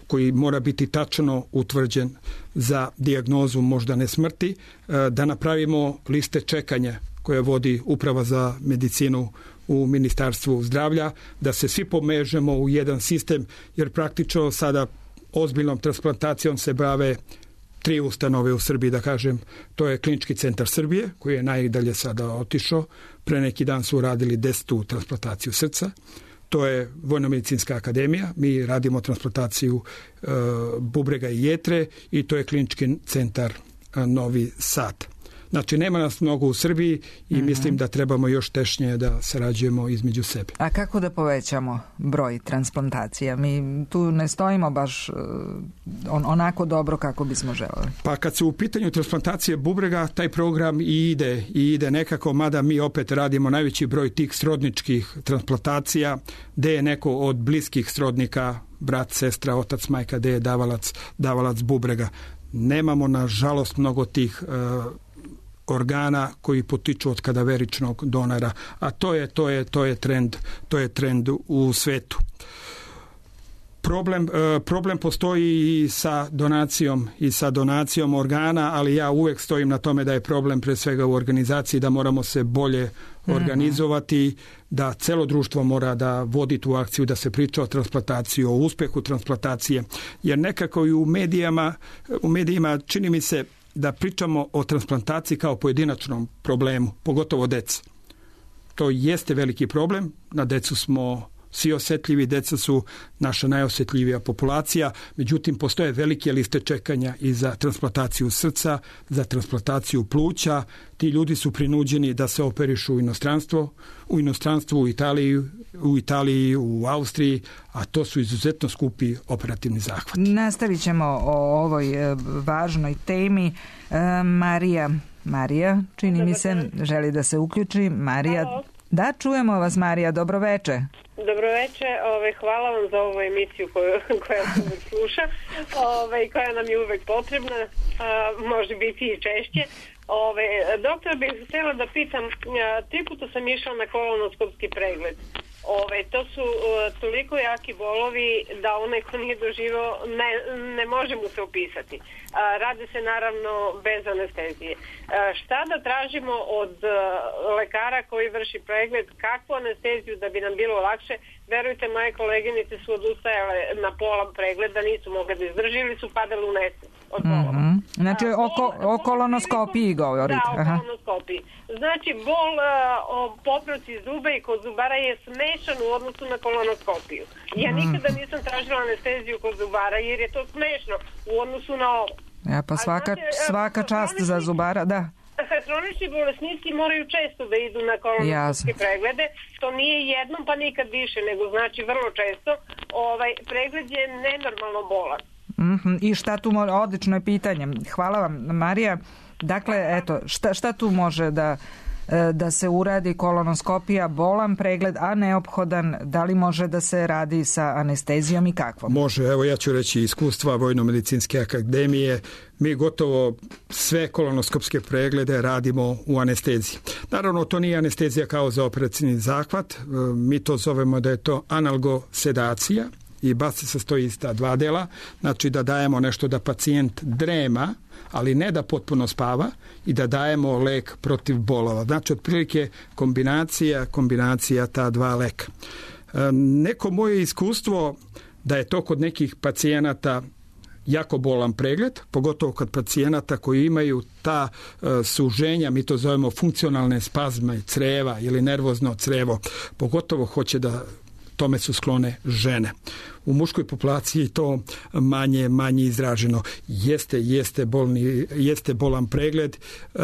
koji mora biti tačno utvrđen za dijagnozu moždane smrti, da napravimo liste čekanja koje vodi Uprava za medicinu u Ministarstvu zdravlja, da se svi pomežemo u jedan sistem, jer praktično sada ozbiljnom transplantacijom se bave tri ustanove u Srbiji, da kažem. To je Klinički centar Srbije, koji je najdalje sada otišao. Pre neki dan su radili desetu transplantaciju srca. To je Vojno-medicinska akademija. Mi radimo transplantaciju e, bubrega i jetre i to je Klinički centar e, Novi Sad. Znači, nema nas mnogo u Srbiji i mm-hmm. mislim da trebamo još tešnje da sarađujemo između sebe.
A kako da povećamo broj transplantacija? Mi tu ne stojimo baš on, onako dobro kako bismo želeli.
Pa kad su u pitanju transplantacije bubrega, taj program i ide, i ide nekako, mada mi opet radimo najveći broj tih srodničkih transplantacija, gde je neko od bliskih srodnika, brat, sestra, otac, majka, gde je davalac, davalac bubrega. Nemamo, nažalost, mnogo tih uh, organa koji potiču od kadaveričnog donora, a to je to je to je trend, to je trend u svetu. Problem, problem postoji i sa donacijom i sa donacijom organa, ali ja uvek stojim na tome da je problem pre svega u organizaciji, da moramo se bolje organizovati, da celo društvo mora da vodi tu akciju, da se priča o transplantaciji, o uspehu transplantacije, jer nekako i u medijama, u medijima čini mi se da pričamo o transplantaciji kao pojedinačnom problemu, pogotovo deca. To jeste veliki problem, na decu smo svi osetljivi, deca su naša najosjetljivija populacija, međutim postoje velike liste čekanja i za transplantaciju srca, za transplantaciju pluća. Ti ljudi su prinuđeni da se operišu u inostranstvo, u inostranstvu, u Italiji, u Italiji, u Austriji, a to su izuzetno skupi operativni zahvati.
Nastavit ćemo o ovoj važnoj temi. Marija, Marija, čini mi se, želi da se uključi. Marija, Halo. Da, čujemo vas, Marija, dobroveče.
Dobroveče, ove, hvala vam za ovu emisiju koju, koja se uvek sluša, ove, koja nam je uvek potrebna, a, može biti i češće. Ove, doktor, bih htjela da pitam, a, tri puta sam išla na kolonoskopski pregled. Ove, to su uh, toliko jaki bolovi da onaj ko nije doživao ne, ne može mu se opisati. Uh, radi se naravno bez anestezije. Uh, šta da tražimo od uh, lekara koji vrši pregled, kakvu anesteziju da bi nam bilo lakše? Verujte, moje koleginice su odustajale na pola pregleda, nisu mogle da izdrži ili su padale u nesvest od bolova.
Mm-hmm. Znači oko, o kolonoskopiji govorite.
Da, o kolonoskopiji. Znači bol uh, o popravci zuba i kod zubara je smešan u odnosu na kolonoskopiju. Ja nikada nisam tražila anesteziju kod zubara jer je to smešno u odnosu na ovo.
Ja, pa svaka, znate, svaka čast za zubara, da.
Hronični bolesnici moraju često da idu na kolonoskopske preglede. To nije jednom pa nikad više, nego znači vrlo često. Ovaj pregled je nenormalno bolan.
Mm-hmm. I šta tu može, odlično je pitanje. Hvala vam, Marija. Dakle, eto, šta, šta tu može da, da se uradi? Kolonoskopija, bolan pregled, a neophodan, da li može da se radi sa anestezijom i kakvom?
Može, evo ja ću reći iskustva Vojno-medicinske akademije. Mi gotovo sve kolonoskopske preglede radimo u anesteziji. Naravno, to nije anestezija kao za operacijni zahvat. Mi to zovemo da je to analgosedacija i baš se sastoji iz ta dva dela. Znači da dajemo nešto da pacijent drema, ali ne da potpuno spava, i da dajemo lek protiv bolova. Znači, otprilike kombinacija, kombinacija ta dva leka. E, neko moje iskustvo da je to kod nekih pacijenata jako bolan pregled, pogotovo kod pacijenata koji imaju ta e, suženja, mi to zovemo funkcionalne spazme creva ili nervozno crevo, pogotovo hoće da tome su sklone žene. U muškoj populaciji to manje manje izraženo. Jeste, jeste, bolni, jeste bolan pregled uh,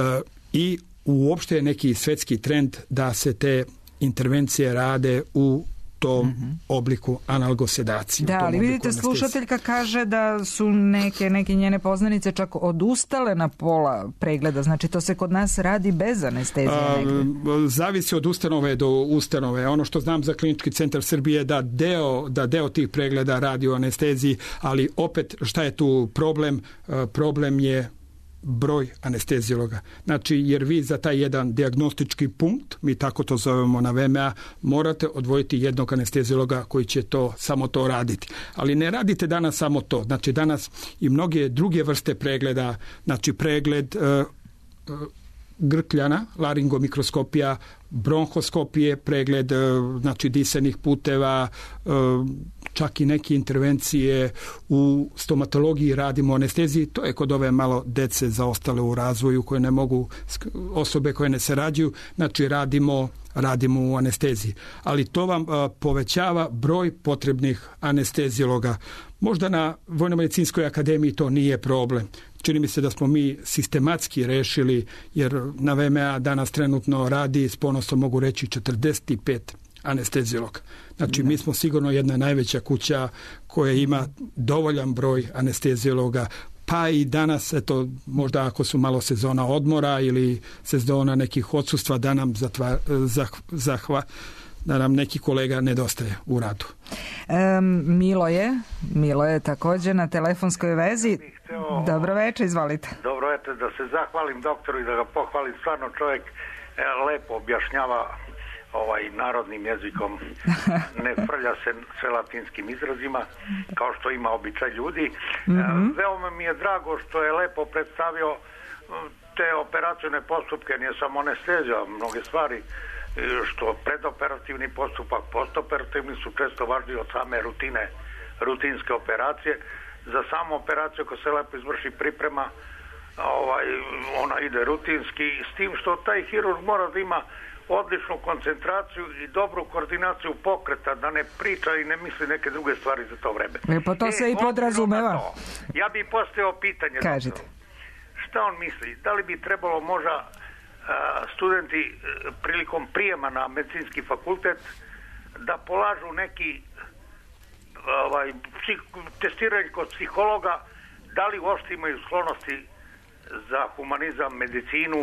i uopšte je neki svetski trend da se te intervencije rade u tom mm-hmm. obliku analgosedacije.
Da, ali vidite, slušateljka kaže da su neke, neke njene poznanice čak odustale na pola pregleda. Znači, to se kod nas radi bez anestezije. A,
zavisi od ustanove do ustanove. Ono što znam za Klinički centar Srbije da deo, da deo tih pregleda radi u anesteziji, ali opet šta je tu problem? Problem je broj anestezijologa. Znači, jer vi za taj jedan dijagnostički punkt, mi tako to zovemo na V M A, morate odvojiti jednog anestezijologa koji će to samo to raditi. Ali ne radite danas samo to. Znači, danas i mnoge druge vrste pregleda, znači pregled uh, uh, grkljana, laringomikroskopija, bronhoskopije, pregled znači disenih puteva, čak i neke intervencije u stomatologiji radimo anesteziji. To je kod ove malo dece zaostale u razvoju koje ne mogu, osobe koje ne se rađuju, znači radimo radimo u anesteziji. Ali to vam povećava broj potrebnih anestezijologa. Možda na Vojno-medicinskoj akademiji to nije problem. Čini mi se da smo mi sistematski rešili, jer na V M A danas trenutno radi, s ponosom mogu reći, četrdeset pet anestezijologa. Znači, mi smo sigurno jedna najveća kuća koja ima dovoljan broj anestezijologa, pa i danas, eto, možda ako su malo sezona odmora ili sezona nekih odsustva, da nam zatva, zah, zahva, da nam neki kolega nedostaje u radu.
Um, Milo je, Milo je također na telefonskoj vezi. Hteo, dobro večer, izvolite.
Dobro večer, da se zahvalim doktoru i da ga pohvalim. Stvarno čovjek e, lepo objašnjava ovaj narodnim jezikom, ne frlja se sve latinskim izrazima kao što ima običaj ljudi. Mm-hmm. E, veoma mi je drago što je lepo predstavio te operacijne postupke, nije samo anestezija, mnoge stvari što predoperativni postupak, postoperativni su često važniji od same rutine, rutinske operacije. Za samu operaciju ako se lepo izvrši priprema, ovaj, ona ide rutinski, s tim što taj hirurg mora da ima odličnu koncentraciju i dobru koordinaciju pokreta, da ne priča i ne misli neke druge stvari za to vreme.
E, pa to e, se i podrazumeva.
Ja bih postavio pitanje.
Kažite.
Doktor, šta on misli? Da li bi trebalo možda studenti prilikom prijema na medicinski fakultet da polažu neki ovaj, testiranje kod psihologa, da li uopšte imaju sklonosti za humanizam, medicinu,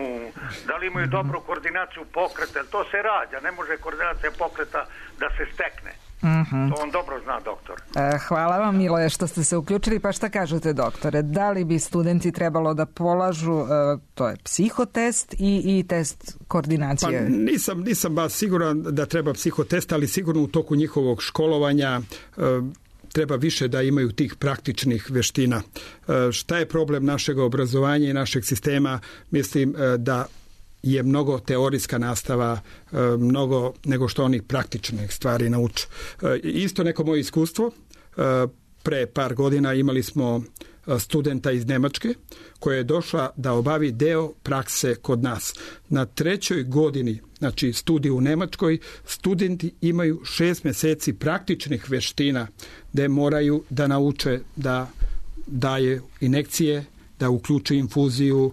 da li imaju dobru koordinaciju pokreta, to se rađa, ne može koordinacija pokreta da se stekne.
Uh-huh.
To on dobro zna, doktor.
E, hvala vam, Miloje, što ste se uključili. Pa šta kažete, doktore? Da li bi studenti trebalo da polažu, e, to je psihotest i, i test koordinacije?
Pa nisam, nisam baš siguran da treba psihotest, ali sigurno u toku njihovog školovanja e, treba više da imaju tih praktičnih veština. E, šta je problem našeg obrazovanja i našeg sistema? Mislim e, da je mnogo teorijska nastava, mnogo nego što oni praktične stvari nauče. Isto neko moje iskustvo, pre par godina imali smo studenta iz Nemačke koja je došla da obavi deo prakse kod nas. Na trećoj godini, znači studiju u Nemačkoj, studenti imaju šest mjeseci praktičnih veština gde moraju da nauče da daje injekcije, da uključe infuziju,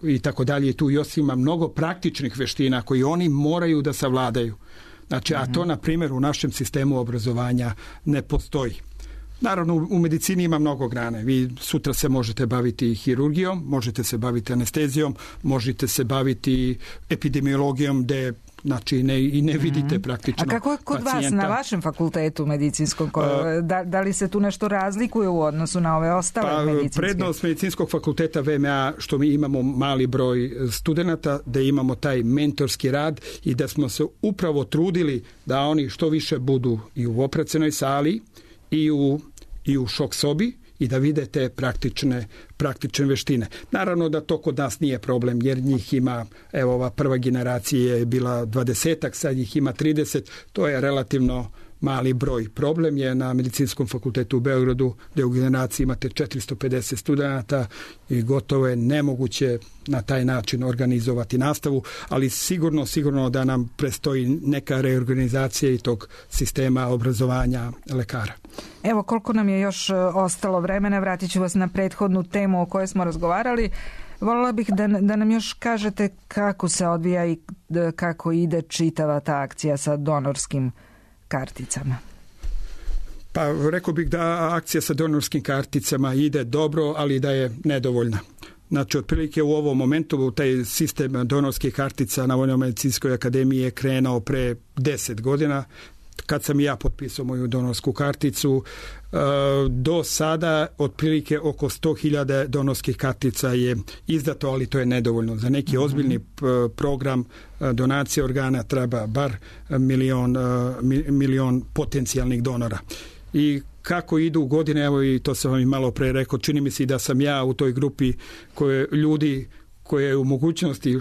i tako dalje. I tu još ima mnogo praktičnih veština koji oni moraju da savladaju. Znači, a to, na primjer, u našem sistemu obrazovanja ne postoji. Naravno, u medicini ima mnogo grane. Vi sutra se možete baviti hirurgijom, možete se baviti anestezijom, možete se baviti epidemiologijom, gde znači ne, i ne vidite praktično.
A kako je kod
pacijenta.
vas na vašem fakultetu medicinskom? Da, da li se tu nešto razlikuje u odnosu na ove ostale
pa,
medicinske?
Prednost medicinskog fakulteta V M A što mi imamo mali broj studenata, da imamo taj mentorski rad i da smo se upravo trudili da oni što više budu i u operacionoj sali i u, i u šok sobi i da vide te praktične, praktične veštine. Naravno da to kod nas nije problem, jer njih ima, evo ova prva generacija je bila dvadesetak, sad ih ima trideset, to je relativno mali broj. Problem je na medicinskom fakultetu u Beogradu, gdje u generaciji imate četiristo pedeset studenata i gotovo je nemoguće na taj način organizovati nastavu, ali sigurno, sigurno da nam prestoji neka reorganizacija i tog sistema obrazovanja lekara.
Evo, koliko nam je još ostalo vremena, vratit ću vas na prethodnu temu o kojoj smo razgovarali. Voljela bih da, da nam još kažete kako se odvija i kako ide čitava ta akcija sa donorskim karticama.
Pa rekao bih da akcija sa donorskim karticama ide dobro, ali da je nedovoljna. Znači, otprilike u ovom momentu taj sistem donorskih kartica na Vojno-medicinskoj akademiji je krenuo pre deset godina. Kad sam ja potpisao moju donorsku karticu, do sada otprilike oko sto hiljada donorskih kartica je izdato, ali to je nedovoljno. Za neki ozbiljni program donacije organa treba bar milion, milion potencijalnih donora. I kako idu godine, evo i to sam vam i malo pre rekao, čini mi se da sam ja u toj grupi koje ljudi koje je u mogućnosti,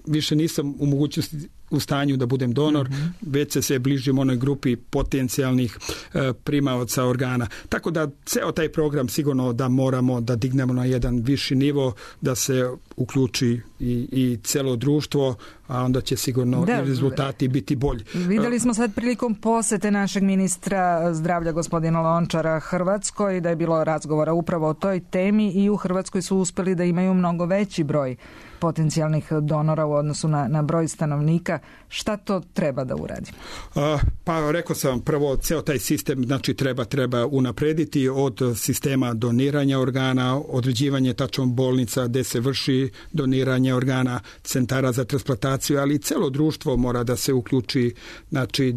više nisam u mogućnosti u stanju da budem donor, mm-hmm. već se se bližim onoj grupi potencijalnih e, primaoca organa. Tako da ceo taj program sigurno da moramo da dignemo na jedan viši nivo, da se uključi i, i celo društvo, a onda će sigurno da, i rezultati biti bolji.
Videli smo sad prilikom posete našeg ministra zdravlja gospodina Lončara Hrvatskoj da je bilo razgovora upravo o toj temi i u Hrvatskoj su uspeli da imaju mnogo veći broj potencijalnih donora u odnosu na, na broj stanovnika. Šta to treba da uradi?
A, pa rekao sam prvo, ceo taj sistem znači treba treba unaprediti od sistema doniranja organa, određivanje tačno bolnica gde se vrši doniranje organa, centara za transplantaciju, ali celo društvo mora da se uključi, znači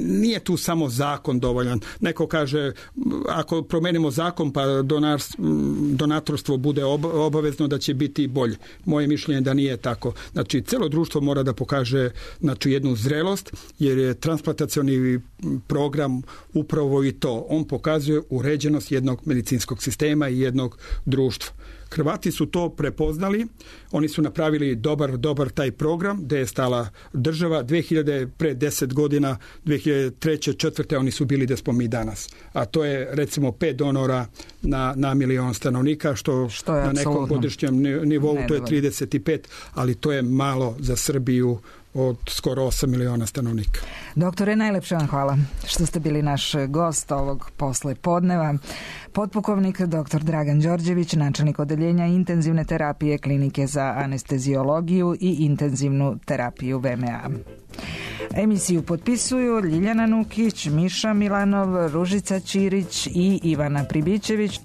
nije tu samo zakon dovoljan. Neko kaže, ako promenimo zakon pa donar, donatorstvo bude obavezno da će biti bolje. Moje mišljenje da nije tako. Znači, celo društvo mora da pokaže znači, jednu zrelost, jer je transplantacioni program upravo i to. On pokazuje uređenost jednog medicinskog sistema i jednog društva. Hrvati su to prepoznali, oni su napravili dobar, dobar taj program gde je stala država. dve hiljade pre deset godina, dve hiljade treće četvrte oni su bili gde smo mi danas. A to je recimo pet donora na, na milion stanovnika, što, što na nekom godišnjem nivou to je trideset pet, ali to je malo za Srbiju od skoro osam miliona stanovnika.
Doktore, najlepše vam hvala što ste bili naš gost ovog posle podneva. Potpukovnik doktor Dragan Đorđević, načelnik odeljenja intenzivne terapije Klinike za anesteziologiju i intenzivnu terapiju V M A. Emisiju potpisuju Ljiljana Nukić, Miša Milanov, Ružica Ćirić i Ivana Pribićević.